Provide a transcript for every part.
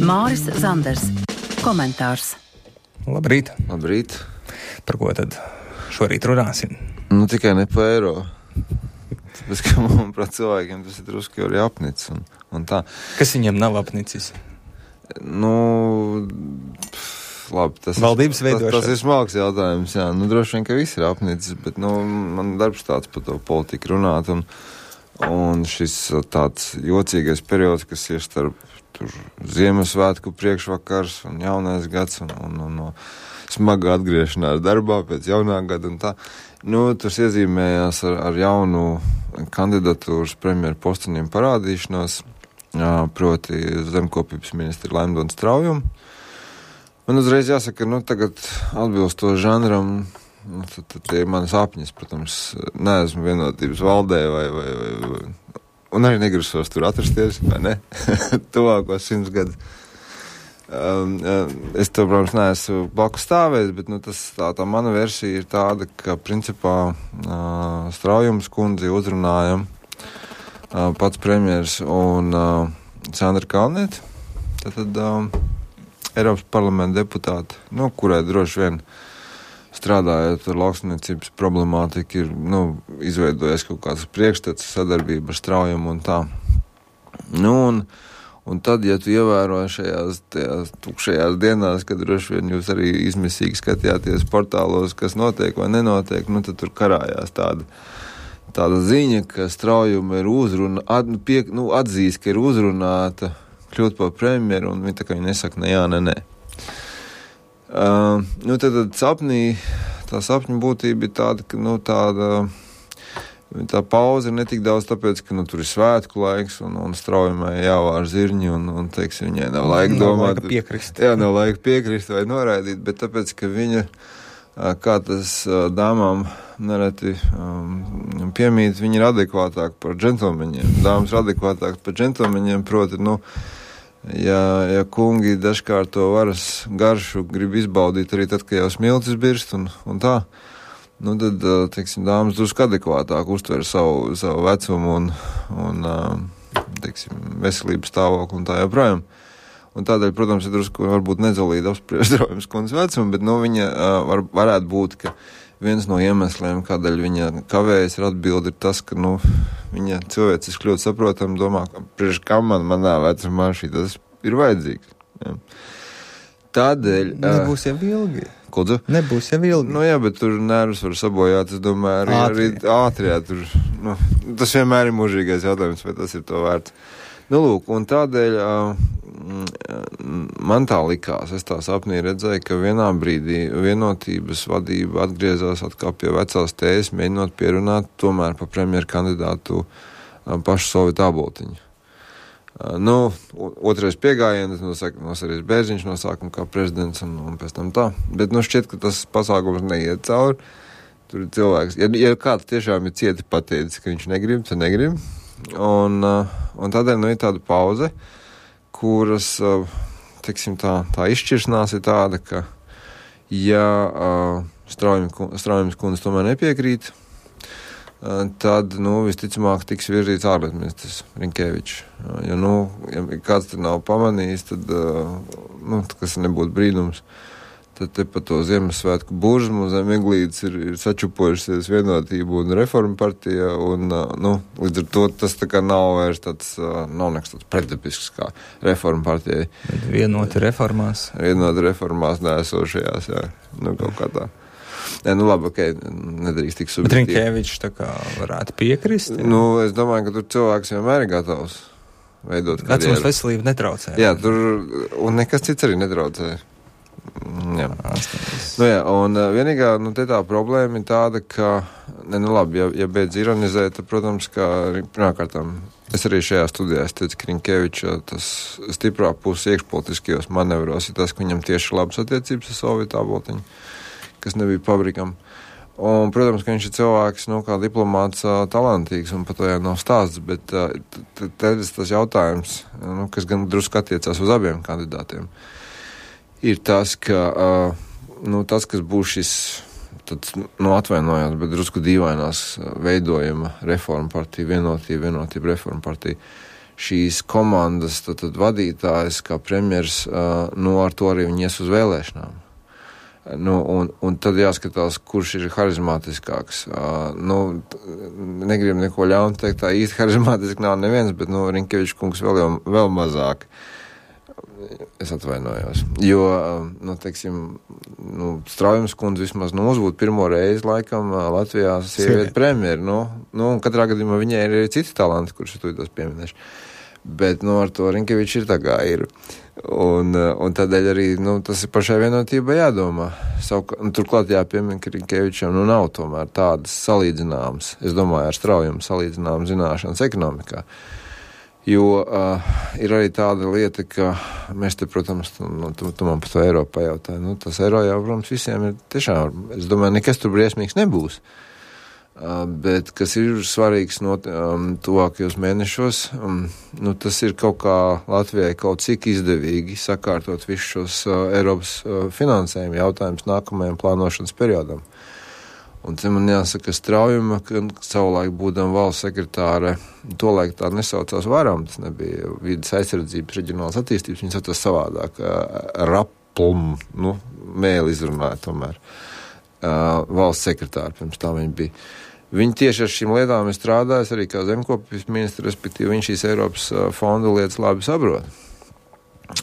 Māris Zanders. Komentārs. Labrīt. Labrīt. Par ko tad šorīt runāsim? Tikai ne par eiro. Tāpēc, ka manuprāt cilvēkiem tas ir drusku jau arī apnicis un tā. Kas viņam nav apnicis? Labi, tas valdības veidošana. Tas ir smalks jautājums, jā. Droši vien, ka viss ir apnicis, bet, man darbs tāds par to politiku runāt un šis tāds jocīgais periods, kas ir starp Ziemassvētku priekšvakars un jaunais gads un smaga atgriešanās darbā pēc jaunā gada un tā. Tas iezīmējās ar jaunu kandidatūras premjeru posteniem parādīšanos, proti zemkopības ministri Laimdona Straujumu. Man uzreiz jāsaka, tagad atbilstoši žanram, tad tie manas apņas, protams, neesmu vienotības valdē vai un arī negrasos tur atrasties, vai ne? Tuvākos 100 gadus. Es to, protams, neesmu blakus stāvējis, bet tā mana versija ir tāda, ka principā Straujums kundzi uzrunāja pats premjers un Sandra Kalniete, tad Eiropas parlamenta deputāti, kurai droši vien strādājot ar lauksaimniecības problemātiku ir, izveidojies kaut kāds priekšstats sadarbība ar Straujumu un tā. Un tad, ja tu ievēroji šajās tukšajās dienās, kad droši vien jūs arī izmisīgi skatījāties portālos, kas notiek vai nenotiek, tad tur karājās tāda ziņa, ka Straujuma ir atzīst, ka ir uzrunāta kļūt par premjeru, un viņa tā kā viņa nesaka ne jā, ne nē. Tad sapnī, tā sapņu būtība ir tāda, ka, tā pauze ir netik daudz tāpēc, ka, tur ir svētku laiks, un Straujumai jāvār zirņi, un teiksim, viņai nav laika domāt. Nav laika piekrist. Jā, nav laika piekrist vai noraidīt, bet tāpēc, ka viņa, kā tas dāmām nereti piemīt, viņa ir adekvātāk par džentlmeņiem. Dāmas ir adekvātāk par džentlmeņiem, proti, ja kungi dažkārt to varas garšu grib izbaudīt arī tad, kad jau smiltis birst un tā, tad, teiksim, dāmas drusku adekvātāk uztver savu vecumu un teiksim, veselības stāvokli un tā joprojām. Un tādēļ, protams, ir drusku varbūt nezolīdi apspriest Straujums kundzes vecumu, bet, viņa varētu būt, ka viens no iemesliem, kādēļ viņa kavējas ar atbildi, ir tas, ka, viņa cilvēciski ļoti saprotam domā, ka priekš kam manā vecumā tas ir vajadzīgs. Jā. Tādēļ... Nebūs jau ilgi. Kodzu? Nebūs jau ilgi. Jā, bet tur nervus var sabojāt, es domāju, arī ātrijā tur, tas vienmēr ir mūžīgais jautājums, vai tas ir to vērts. Un tādēļ man tā likās, es tā sapnī redzēju, ka vienā brīdī vienotības vadība atgriezās atkal pie vecās tējas, mēģinot pierunāt tomēr pa premjeru kandidātu pašu Solvitu Āboltiņu. Otrais piegājiens nosarīs Bērziņš no sākuma kā prezidents un pēc tam tā, bet šķiet, ka tas pasākums neiet cauri. Tur ir cilvēks, ja kāds tiešām ir cieti pateicis, ka viņš negrib, tad negrib. Un tādēļ ir tāda pauze, kuras, teiksim, tā izšķiršanās ir tāda, ka, ja Straujums kundze tomēr nepiekrīt, tad, visticamāk tiks virzīts ārlietministrs Rinkēvičs. Ja kāds te nav pamanījis, tad, kas nebūtu brīnums, tad te pa to Ziemassvētku burzmu zem eglītes ir sačupojušies Vienotība un Reforma partija, un, līdz ar to tas tā kā nav vairs nav nekas tāds pretdapisks kā Reforma partijai. Vienoti reformās. Vienoti reformās neesošajās, jā, kaut kā tā. Labi, nedrīkst tik subjektīvi. Bet Rinkēvičs tā kā varētu piekrist? Jā? Es domāju, ka tur cilvēks vienmēr ir gatavs veidot karjeru. Vecums veselību netraucē. Jā, un nekas cits arī netraucē. Jā. Un vienīgā, tā problēma ir tāda, ka, ja beidz ironizēt, tad, protams, ka pirmkārtām, es arī šajā studijā teicu, ka Rinkēviča tas stiprā puses iekšpolitiskajos manevros ir tas, ka viņam tieši labas attiecības ar Solvitu Āboltiņu, kas nebija pabrikam. Un, protams, ka viņš ir cilvēks, kā diplomāts talantīgs, un par to jau nav stāsts, bet tas jautājums, kas gan drusku attiecās uz abiem kandidātiem, ir tas, ka tas, kas būs šis, atvainojās, bet drusku dīvainās veidojuma Reforma partija, vienotība Reforma partija, šīs komandas tad vadītājs, kā premjers, ar to arī viņi ies uz vēlēšanām. Un tad jāskatās, kurš ir harizmātiskāks. Negribu neko ļaunu teikt, tā īsti harizmātiski nav neviens, bet, Rinkevičs kungs vēl mazāk. Es atvainojos. Jo, Straujums kundze vismaz uzbūt pirmo reizi laikam Latvijā sieviete premjeri. Un katrā gadījumā viņai ir arī citi talanti, kurus tu tos pieminēši. Bet, ar to Rinkevičs ir tā kā ir. Un tādēļ arī, tas ir pašai vienotībai jādomā. Turklāt jāpiemina, ka Rinkevičam, nav tomēr tādas salīdzināmas, es domāju, ar Straujumu salīdzināmas zināšanas ekonomikā. Jo ir arī tāda lieta, ka mēs te, protams, tu man par to eiro pajautāji, tas eiro jau, protams, visiem ir tiešām, es domāju, nekas tur briesmīgs nebūs. Bet, kas ir svarīgs tuvākajos mēnešos, tas ir kaut kā Latvijai kaut cik izdevīgi sakārtot visus šos Eiropas finansējumu jautājumus nākamajam plānošanas periodam. Un te man jāsaka Straujuma, ka savulaik būdam valsts sekretāre, tolaik tā nesaucās varam, tas nebija vides aizsardzības reģionālas attīstības, viņi saucās savādāk, raplum, mēli izrunāja tomēr. Valsts sekretāri, pirms tā viņi bija. Viņi tieši ar šīm lietām ir strādājis arī kā zemkopības ministri, respektīvi viņš šīs Eiropas fonda lietas labi saprot.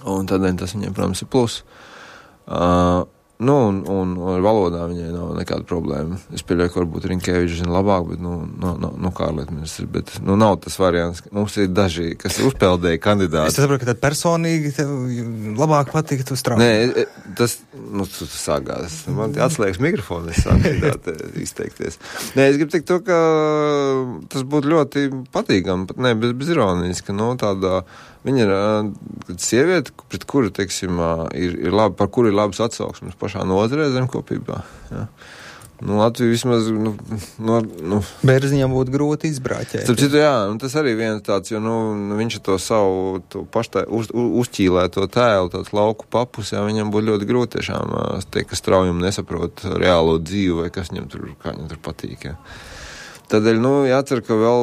Un tādēļ tas viņiem, protams, ir plus. Un ar valodā viņai nav nekāda problēma. Es pieļauju, ka varbūt Rinkevičs zina labāk, bet, kā ārlietu ministrs, bet, nav tas variants. Mums ir daži, kas uzpeldēja kandidāti. Es saprotu, ka tad personīgi tev labāk patīk tu strādāt. Nē, tas sākās. Man atslēgas mikrofonu, es sāku izteikties. Nē, es gribu teikt to, ka tas būtu ļoti patīkami, pat ne, bez ironijas, ka, tādā viņa ir sieviete, pret kuru, teiksim, ir labi, par kuru ir labas atsauksmes pašā nozarē zemkopībā. Ja. Latvija vismaz, Bērziņam būtu grūti izbrāķēt. Starp citu, jā, tas arī viens tāds, jo, viņš to savu uzķīlēto tēlu, tāds lauku papus, jā, viņam būtu ļoti grūti tiešām teikt, ka Straujumu nesaprot reālo dzīvi vai kas viņam tur, kā viņam tur patīk, jā. Tādēļ, jācer, ka vēl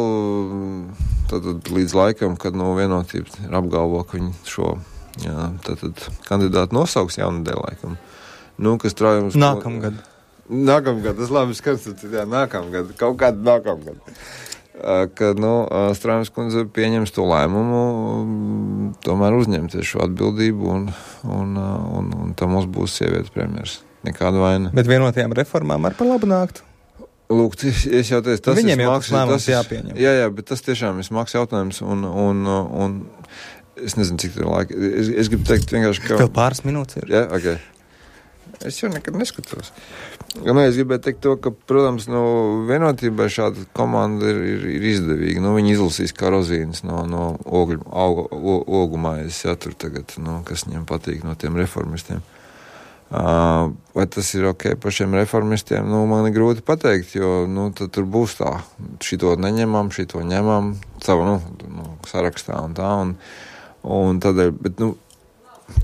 tad līdz laikam, kad vienotība ir apgalvo, ka viņi šo kandidātu nosauks jaunadēļ laikam. Kas Straujums... Nākamgad, tas labi skats, jā, nākamgad, kaut kādu nākamgad. Kad, Straujums kundze pieņems to lēmumu, tomēr uzņemties šo atbildību un tam mums būs sievietes premjers. Nekāda vaina. Bet vienotajām reformām ar par labu nāktu. Lūk, es jau teicu, tas viņiem ir smags lēmums jāpieņem. Jā, bet tas tiešām ir smags jautājums un es nezinu, cik tā laika. Es gribu teikt vienkārši, ka... Vēl pāris minūtes ir. Jā, ok. Es jau nekad neskatos. Es gribēju teikt to, ka, protams, vienotībai šāda komanda ir izdevīga. Viņi izlasīs kā rozīnes no ogumājas, jā, tur tagad, kas viņiem patīk no tiem reformistiem. Vai tas ir ok pašiem reformistiem? Man ir grūti pateikt, jo, tad tur būs tā, šito neņemam, šito ņemam, savu, sarakstā un tā, un tādēļ, bet,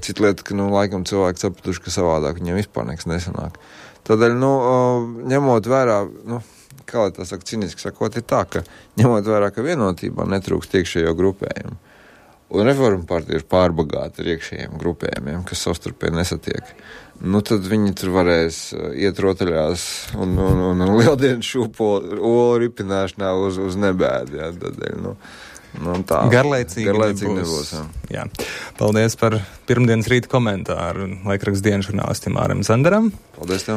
cita lieta, ka, laikam cilvēki sapratuši, ka savādāk viņiem vispār nekas nesanāk. Tādēļ, ņemot vērā, kā lai tā saka, ciniski sakot, ir tā, ka ņemot vērā, ka vienotībā netrūkst iekšējo grupējumu, un Reforma partija ir pārbagāta ar iekšējiem grupējumiem, kas savstarpēji nesatiek. Tad viņi tur varēs iet rotaļās un lieldienu šūpo olu ripināšanā uz nebēdi. Jā, tādēļ, tā. Garlaicīgi nebūs. Jā. Paldies par pirmdienas rīta komentāru laikraksta dienas žurnālistam Mārim Zanderam. Paldies tev.